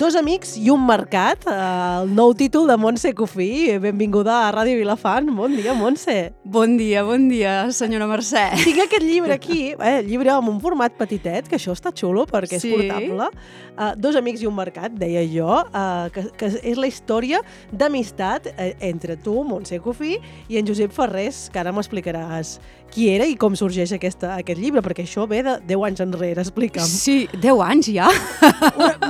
Dos amics i un mercat, el nou títol de Montse Cofí. Benvinguda a Ràdio Vilafant. Bon dia, Montse. Bon dia, senyora Mercè. Tinc aquest llibre aquí, llibre amb un format petitet, que això està xulo perquè és portable. Dos amics i un mercat, deia jo, que és la història d'amistat entre tu, Montse Cofí, i en Josep Ferrés, que ara m'explicaràs qui era i com sorgeix aquest llibre, perquè això ve de 10 anys enrere, explica'm. Sí, 10 anys ja.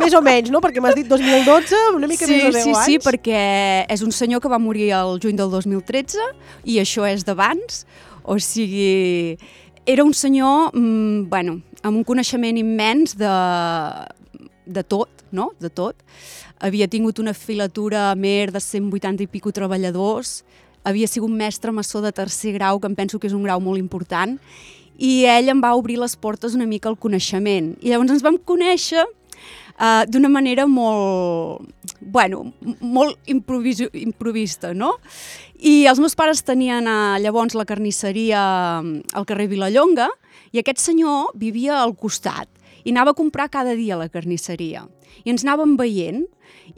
Més o menys, no? Perquè m'has dit 2012, una mica més de 10 anys. Sí, perquè és un senyor que va morir el juny del 2013 i això és d'abans. O sigui, era un senyor, amb un coneixement immens de tot, no? De tot. Havia tingut una filatura a mer de 180 i pico treballadors, havia sigut mestre maçó de tercer grau, que em penso que és un grau molt important, i ell em va obrir les portes una mica al coneixement. I llavors ens vam conèixer d'una manera molt improvista, no? I els meus pares tenien llavors la carnisseria al carrer Vilallonga i aquest senyor vivia al costat i anava a comprar cada dia a la carnisseria. I ens anàvem veient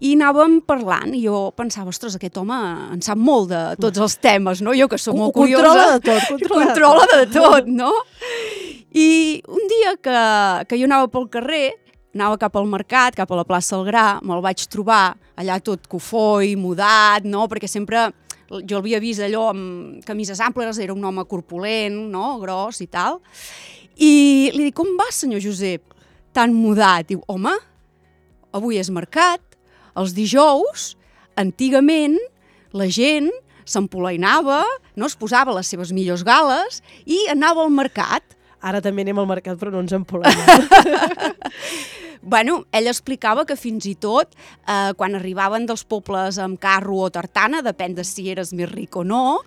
i anàvem parlant i jo pensava, ostres, aquest home en sap molt de tots els temes, no? Jo que soc molt curiosa. Controla de tot, no? I un dia que jo anava pel carrer, anava cap al mercat, cap a la plaça del Gra, me'l vaig trobar allà tot cofoi, mudat, no? Perquè sempre jo l'havia vist allò amb camises amples, era un home corpulent, no? Gros i tal. I li dic, com va, senyor Josep? Tan mudat. Diu, home, avui és mercat, els dijous, antigament, la gent s'empolainava, no, es posava les seves millors gales i anava al mercat. Ara també anem al mercat, però no ens empolainem. Ell explicava que fins i tot, quan arribaven dels pobles amb carro o tartana, depèn de si eres més ric o no,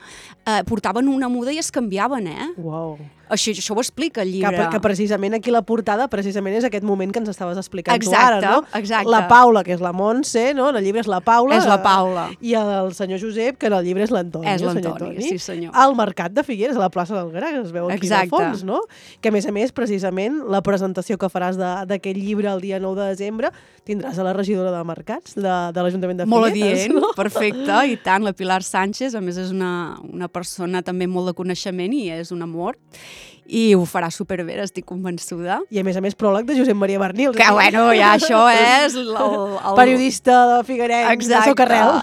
portaven una muda i es canviaven, Uau. Això ho explica el llibre. Que precisament aquí la portada precisament és aquest moment que ens estaves explicant tu ara, no? Exacte. La Paula, que és la Montse, no? En el llibre és la Paula. És la Paula. I el senyor Josep, que en el llibre és l'Antoni. És l'Antoni, sí senyor. Al mercat de Figueres, a la plaça del Gra, que es veu aquí al fons, no? Que a més, precisament, la presentació que faràs d'aquest llibre el dia 9 de desembre tindràs a la regidora de mercats de l'Ajuntament de Figueres. Molt adient, no? Perfecte, i tant. La Pilar Sánchez, a més, és una persona també molt de coneixement i és un amor. I ho farà superbé, estic convençuda. I a més, pròleg de Josep Maria Bernils. Que ja això és... Periodista de Figuerenc, de Socarrel.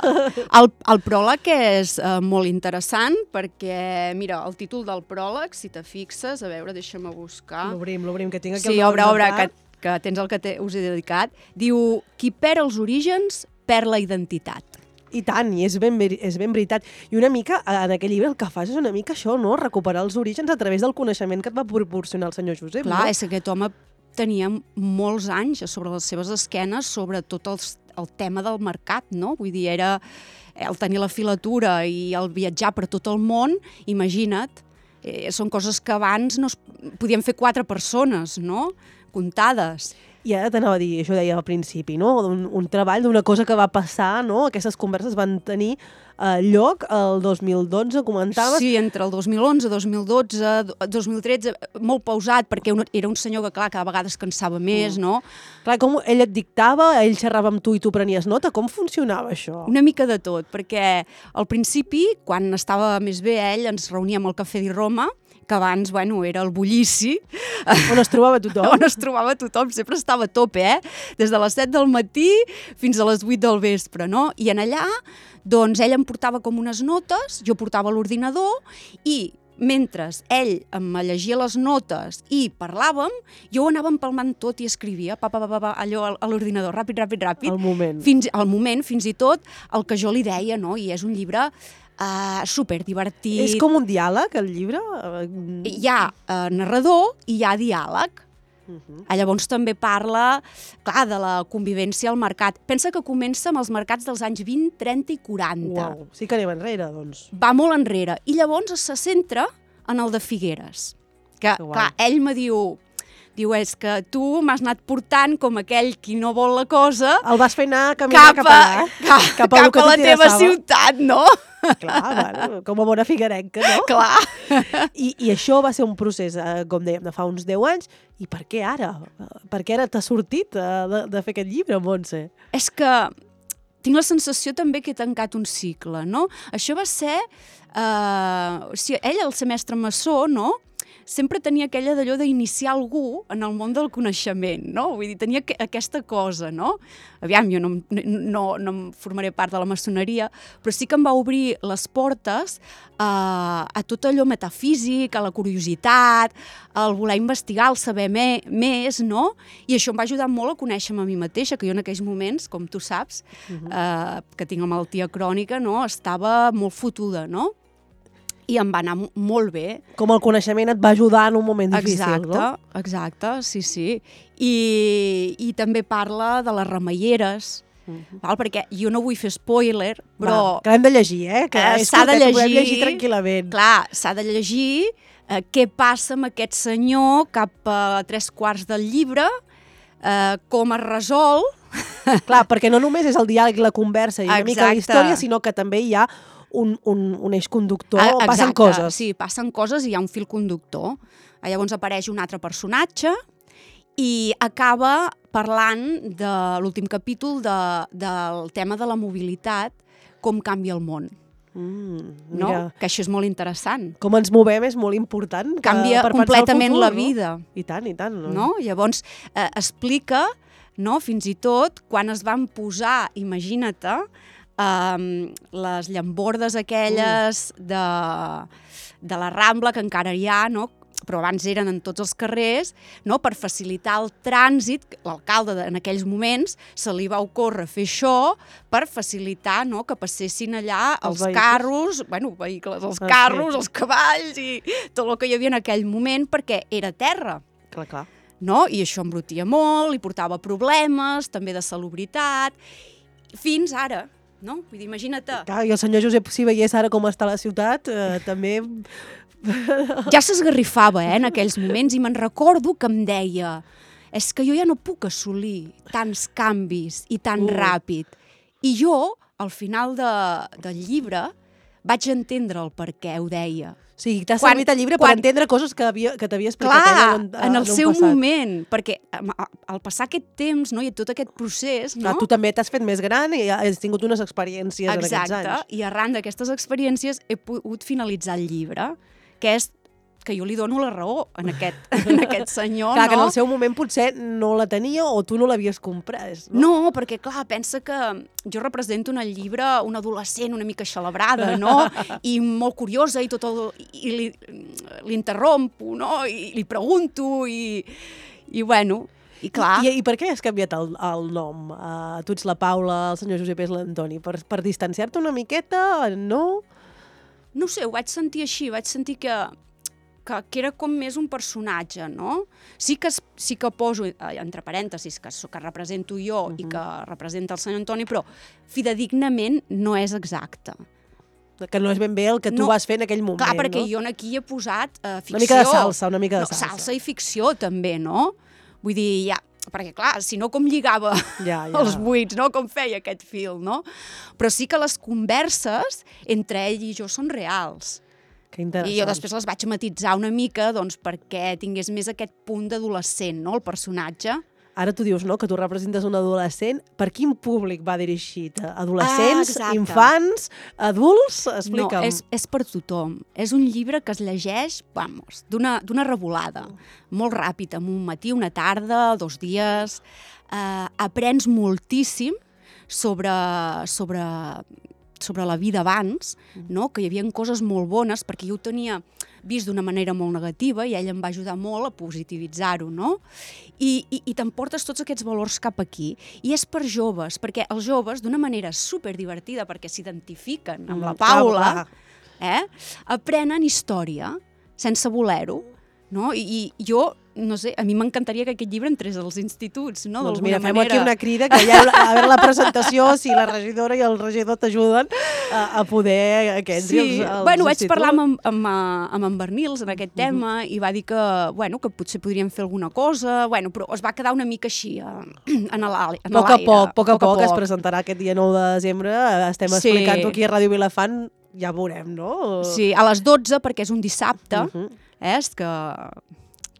El pròleg és molt interessant perquè, mira, el títol del pròleg, si te fixes, a veure, deixa'm buscar. L'obrim, que tinc aquí el nom. Sí, obre, que tens el que us he dedicat. Diu, qui perd els orígens, perd la identitat. I tant, i és ben veritat. I una mica, en aquell llibre, el que fas és una mica això, no? Recuperar els orígens a través del coneixement que et va proporcionar el senyor Josep. Clar, no? És que aquest home tenia molts anys sobre les seves esquenes sobre tot el tema del mercat, no? Vull dir, era el tenir la filatura i el viatjar per tot el món, imagina't, són coses que abans no podien fer 4 persones, no? Comptades. I ara t'anava a dir, això deia al principi, no? Un treball d'una cosa que va passar, no? Aquestes converses van tenir lloc el 2012, comentaves. Sí, entre el 2011, 2012, 2013, molt pausat, perquè era un senyor que, clar, cada vegada es cansava més, no? Clar, com ell et dictava, ell xerrava amb tu i tu prenies nota, com funcionava això? Una mica de tot, perquè al principi, quan estava més bé ell, ens reuníem al Cafè di Roma, que abans, era el bullici. On es trobava tothom. On es trobava tothom, sempre estava a tope, Des de les 7 del matí fins a les 8 del vespre, no? I en allà, doncs, ell em portava com unes notes, jo portava l'ordinador i mentre ell em llegia les notes i parlàvem, jo anava empalmant tot i escrivia, allò a l'ordinador, ràpid. Al moment. Al moment, fins i tot, el que jo li deia, no? I és un llibre superdivertit. És com un diàleg, el llibre? Hi ha narrador i hi ha diàleg. Llavors també parla, clar, de la convivència al mercat. Pensa que comença amb els mercats dels anys 20, 30 i 40. Uau, sí que anem enrere, doncs. Va molt enrere. I llavors se centra en el de Figueres. Que, clar, ell me diu, Diu, és que tu m'has anat portant com aquell qui no vol la cosa... El vas fer anar a caminar cap allà. Cap a la teva ciutat, no? Clar, bueno, com a bona figuerenca, no? Clar. I això va ser un procés, com dèiem, de fa uns 10 anys. I per què ara? Per què ara t'ha sortit de fer aquest llibre, Montse? És que tinc la sensació també que he tancat un cicle, no? Això va ser... o sigui, ell, el semestre maçó, no?, sempre tenia aquella d'allò d'iniciar algú en el món del coneixement, no? Vull dir, tenia aquesta cosa, no? Aviam, jo no em formaré part de la maçoneria, però sí que em va obrir les portes a tot allò metafísic, a la curiositat, al voler investigar, al saber més, no? I això em va ajudar molt a conèixer-me a mi mateixa, que jo en aquells moments, com tu saps, que tinc la malaltia crònica, no?, estava molt fotuda, no? I em va anar molt bé. Com el coneixement et va ajudar en un moment difícil, no? Exacte, sí. I també parla de les remeieres, perquè jo no vull fer spoiler, però... Que l'hem de llegir, que s'ha de llegir, podem llegir tranquil·lament. Clar, s'ha de llegir què passa amb aquest senyor cap a 3/4 del llibre, com es resol... Clar, perquè no només és el diàleg i la conversa i una mica la història, sinó que també hi ha un eix conductor, passen coses. Sí, passen coses i hi ha un fil conductor. Llavors apareix un altre personatge i acaba parlant de l'últim capítol del tema de la mobilitat, com canvia el món. No? Que això és molt interessant. Com ens movem és molt important. Canvia completament la vida. I tant. No? Llavors explica, no, fins i tot quan es van posar, imagina't, les llambordes aquelles de la Rambla, que encara hi ha, no? Però abans eren en tots els carrers, no? Per facilitar el trànsit, l'alcalde en aquells moments se li va ocórrer fer això per facilitar, no?, que passessin allà els carros, vehicles, els carros, els cavalls i tot el que hi havia en aquell moment, perquè era terra. Clar. No? I això embrutia molt, li portava problemes, també de salubritat, fins ara. No? Vull dir, imagina't... Clar, i el senyor Josep, si veiés ara com està la ciutat, també... Ja s'esgarrifava, en aquells moments, i me'n recordo que em deia és que jo ja no puc assolir tants canvis i tan ràpid. I jo, al final del llibre, vaig entendre el per què ho deia. O sigui, t'ha servit el llibre per entendre coses que t'havia explicat ella en el seu moment, perquè al passar aquest temps, no, i tot aquest procés... Clar, tu també t'has fet més gran i has tingut unes experiències en aquests anys. Exacte, i arran d'aquestes experiències he pogut finalitzar el llibre, que és que jo li dono la raó en aquest senyor, clar, no? que en el seu moment potser no la tenia o tu no l'havies comprat. No, perquè, clar, pensa que jo represento en el llibre una adolescent una mica xalabrada, no? I molt curiosa, i l'interrompo, no? I li pregunto, i bueno... I clar... I per què has canviat el nom? Tu ets la Paula, el senyor Josep és l'Antoni. Per distanciar-te una miqueta, no? No sé, ho vaig sentir així, vaig sentir que era com més un personatge, no? Sí que poso, entre parèntesis, que represento jo i que representa el senyor Antoni, però fidedignament no és exacte. Que no és ben bé el que tu vas fer en aquell moment, clar, perquè no? jo aquí he posat ficció. Una mica de salsa, una mica de salsa. Salsa i ficció, també, no? Vull dir, perquè clar, si no com lligava els buits, no? Com feia aquest fil, no? Però sí que les converses entre ell i jo són reals. Que interessant. I jo després les vaig matitzar una mica, doncs, perquè tingués més aquest punt d'adolescent, no?, el personatge. Ara tu dius, no?, que tu representes un adolescent. Per quin públic va dirigit? Adolescents, infants, adults? Explica'm. No, és per tothom. És un llibre que es llegeix, vamos, d'una revolada. Molt ràpid, en un matí, una tarda, 2 dies. Aprens moltíssim sobre la vida abans, no? Que hi havia coses molt bones, perquè jo ho tenia vist d'una manera molt negativa i ell em va ajudar molt a positivitzar-ho, no? I t'emportes tots aquests valors cap aquí. I és per joves, perquè els joves, d'una manera superdivertida, perquè s'identifiquen amb la Paula, aprenen història, sense voler-ho. no? I jo, no sé, a mi m'encantaria que aquest llibre entrés als instituts, no? Doncs D'alguna mira, fem manera. aquí una crida, que ja a veure la presentació, si la regidora i el regidor t'ajuden a poder que entri als vaig instituts. parlar amb en Bernils en aquest tema i va dir que potser podríem fer alguna cosa, però es va quedar una mica així, en l'aire. A poc a poc es presentarà aquest dia 9 de desembre, estem explicant-ho aquí a Ràdio Vilafant, ja veurem, no? Sí, a les 12, perquè és un dissabte,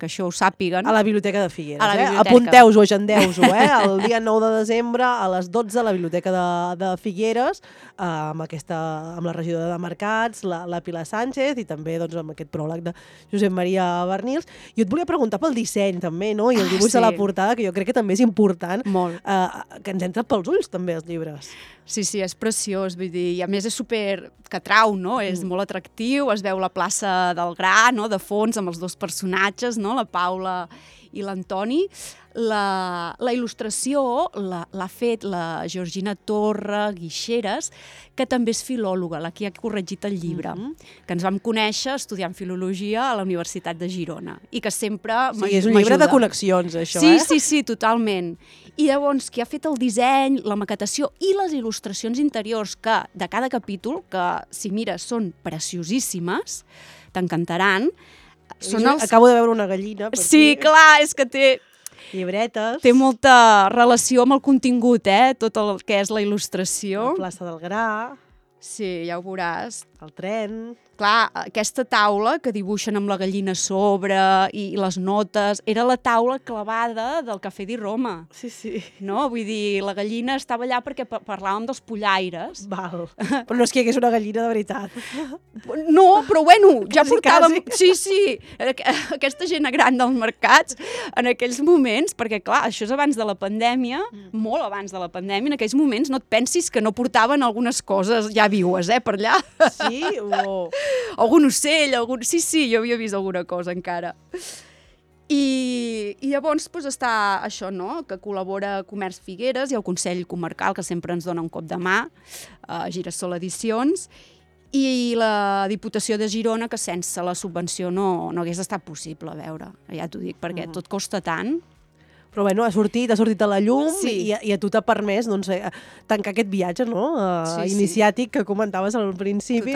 que això ho sàpiguen. A la Biblioteca de Figueres, biblioteca. Apunteu-ho, agendeu-ho, el dia 9 de desembre a les 12 a la Biblioteca de Figueres, amb la regidora de Mercats, la Pilar Sánchez, i també doncs, amb aquest pròleg de Josep Maria Bernils. Jo et volia preguntar pel disseny també, no? I el dibuix de la portada, que jo crec que també és important, que ens entra pels ulls també els llibres. Sí, és preciós, vull dir, i a més és super que atrau, no? És molt atractiu, es veu la plaça del Gra, no? De fons, amb els dos personatges, no? La Paula i l'Antoni. La il·lustració l'ha fet la Georgina Torre Guixeres, que també és filòloga, la que ha corregit el llibre, que ens vam conèixer estudiant filologia a la Universitat de Girona i que sempre m'ajuda. Sí, és un llibre de connexions, això, Sí, totalment. I llavors, qui ha fet el disseny, la maquetació i les il·lustracions interiors de cada capítol, que si mires són preciosíssimes, t'encantaran. Acabo de veure una gallina. Sí, clar, és que té llibretes. Té molta relació amb el contingut, tot el que és la il·lustració. La plaça del Gra. Sí, ja ho veuràs. El tren. Clar, aquesta taula que dibuixen amb la gallina a sobre i les notes, era la taula clavada del Cafè di Roma. Sí. No? Vull dir, la gallina estava allà perquè parlàvem dels pollaires. Val. Però no és que hi hagués una gallina de veritat. No, però ja portàvem... Quasi. Sí. Aquesta gent gran dels mercats, en aquells moments, perquè clar, això és abans de la pandèmia, molt abans de la pandèmia, en aquells moments no et pensis que no portaven algunes coses ja viues, per allà. Sí? Algun ocell, Sí, jo havia vist alguna cosa encara. I llavors està això, no?, que col·labora Comerç Figueres i el Consell Comarcal, que sempre ens dona un cop de mà, Girasol Edicions, i la Diputació de Girona, que sense la subvenció no hagués estat possible, a veure, ja t'ho dic, perquè tot costa tant. Però bueno, ha sortit a la llum i a tu t'ha permès tancar aquest viatge iniciàtic que comentaves al principi,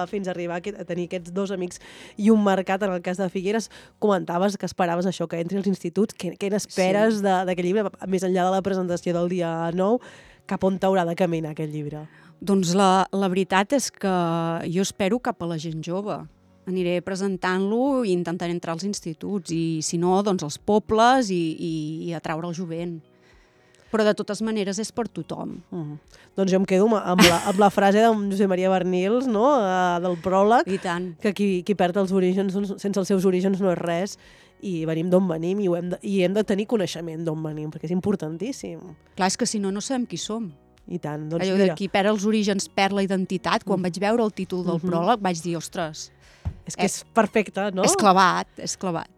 fins a arribar a tenir aquests dos amics i un mercat. En el cas de Figueres comentaves que esperaves això, que entri als instituts. Què n'esperes d'aquest llibre, més enllà de la presentació del dia 9, cap on t'haurà de caminar aquest llibre? Doncs la veritat és que jo espero cap a la gent jove. Aniré presentant-lo i intentaré entrar als instituts i, si no, doncs als pobles i atraure el jovent. Però, de totes maneres, és per tothom. Doncs jo em quedo amb la frase de Josep Maria Bernils, del pròleg, que qui perd els orígens, sense els seus orígens no és res, i venim d'on venim i hem de tenir coneixement d'on venim, perquè és importantíssim. Clar, és que si no, no sabem qui som. I tant. Doncs allò de qui perd els orígens perd la identitat. Quan vaig veure el títol del pròleg vaig dir, ostres... És que és perfecte, no? És clavat.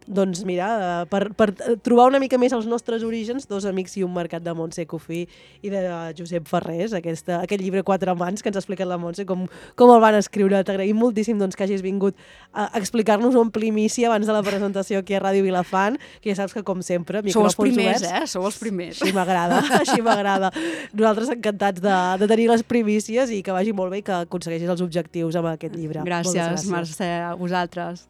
Doncs mira, per trobar una mica més els nostres orígens, Dos amics i un mercat, de Montse Cofí i de Josep Ferrés, aquest llibre Quatre mans que ens ha explicat la Montse, com el van escriure. T'agraïm moltíssim que hagis vingut a explicar-nos-ho en primícia abans de la presentació aquí a Ràdio Vilafant, que ja saps que, com sempre, micròfons oberts. Sou els primers. Així m'agrada. Nosaltres encantats de tenir les primícies i que vagi molt bé i que aconsegueixis els objectius amb aquest llibre. Gràcies, Mercè, a vosaltres.